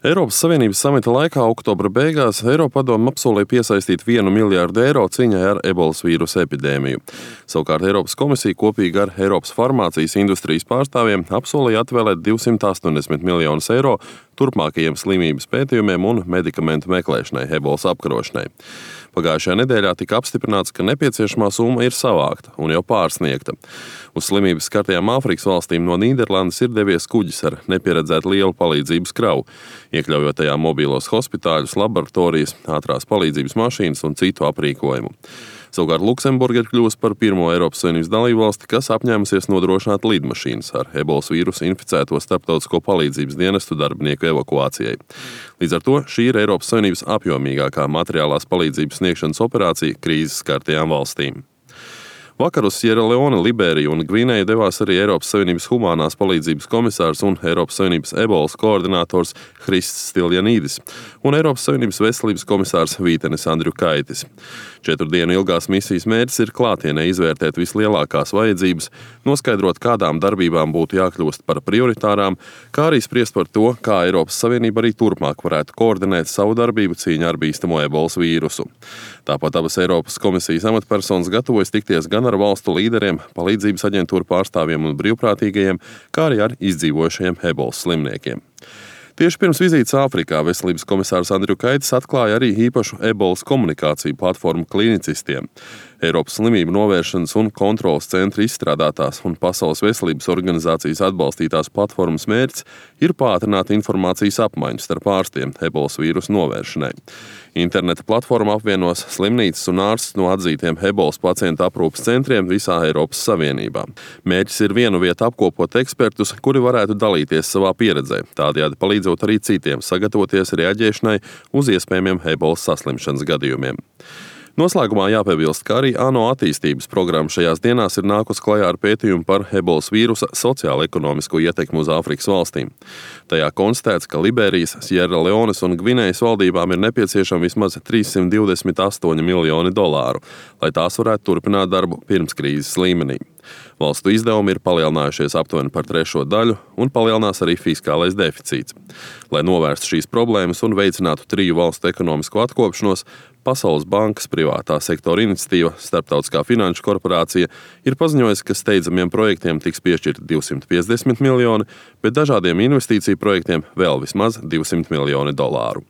Eiropas Savienības samita laikā oktobra beigās Eiropadome apsolīja piesaistīt 1 miljārdu eiro cīņai ar ebolas vīrusa epidēmiju. Savukārt Eiropas komisija kopīgi ar Eiropas farmācijas industrijas pārstāvjiem apsolīja atvēlēt 280 miljonus eiro turpmākajiem slimības pētījumiem un medikamentu meklēšanai ebolas apkarošanai. Pagājušajā nedēļā tika apstiprināts, ka nepieciešamā summa ir savākta un jau pārsniegta. Uz slimības skartajām Āfrikas valstīm no Nīderlandes ir devies kuģis ar nepieredzētu lielu palīdzības kravu, iekļaujot tajā mobīlos hospitāļus, laboratorijas, ātrās palīdzības mašīnas un citu aprīkojumu. Savukārt Luksemburga ir kļuvusi par pirmo Eiropas Savienības dalībvalsti, kas apņēmusies nodrošināt lidmašīnas ar ebolas vīrusu inficēto starptautisko palīdzības dienestu darbinieku evakuācijai. Līdz ar to šī ir Eiropas Savienības apjomīgākā materiālās palīdzības sniegšanas operācija krīzes skartajām valstīm. Vakar uz Sierra Leone, Liberiju un Gvinēju devās arī Eiropas Savienības humānās palīdzības komisārs un Eiropas Savienības ebolas koordinators Hrists Stiljanīdis un Eiropas Savienības veselības komisārs Vītenis Andriukaitis. 4 dienu ilgās misijas mērķis ir klātienē izvērtēt vislielākās vajadzības, noskaidrot, kādām darbībām būtu jākļūst par prioritārām, kā arī spriest par to, kā Eiropas Savienība arī turpmāk varētu koordinēt savu darbību cīņā ar bīstamo ebolas vīrusu. Tāpat abas Eiropas komisijas amatpersonas gatavojas tikties gan ar valstu līderiem, palīdzības aģentūru pārstāvjiem un brīvprātīgajiem, kā arī ar izdzīvojušajiem ebolas slimniekiem. Tieši pirms vizītes Āfrikā veselības komisārs Andriukaitis atklāja arī īpašu ebolas komunikāciju platformu klinicistiem. Eiropas slimību novēršanas un kontrolas centra izstrādātās un Pasaules veselības organizācijas atbalstītās platformas mērķis ir pātrināt informācijas apmaiņu starp ārstiem ebolas vīrusu novēršanai. Interneta platforma apvienos slimnīcas un ārstus no atzītiem ebolas pacientu aprūpes centriem visā Eiropas Savienībā. Mērķis ir vienu vietu apkopot ekspertus, kuri varētu dalīties savā pieredzē, tādējādi palīdzot arī citiem sagatavoties reaģēšanai uz iespējamiem ebolas saslimšanas gadījumiem. Noslēgumā jāpiebilst, ka arī ANO attīstības programma šajās dienās ir nākus klajā ar pētījumu par ebolas vīrusa sociālo-ekonomisko ietekmi uz Āfrikas valstīm. Tajā konstatēts, ka Liberijas, Sierra Leones un Gvinējas valdībām ir nepieciešami vismaz 328 miljoni dolāru, lai tās varētu turpināt darbu pirms krīzes līmenī. Valstu izdevumi ir palielinājušies aptuveni par 3 daļu un palielinās arī fiskālais deficīts. Lai novērstu šīs problēmas un veicinātu 3 valstu ekonomisko atkopšanos, Pasaules bankas privātā sektora iniciatīva Starptautiskā finanšu korporācija ir paziņojusi, ka steidzamiem projektiem tiks piešķirti 250 miljoni, bet dažādiem investīciju projektiem vēl vismaz 200 miljoni dolāru.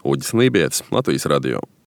Uģis Lībietis, Latvijas radio.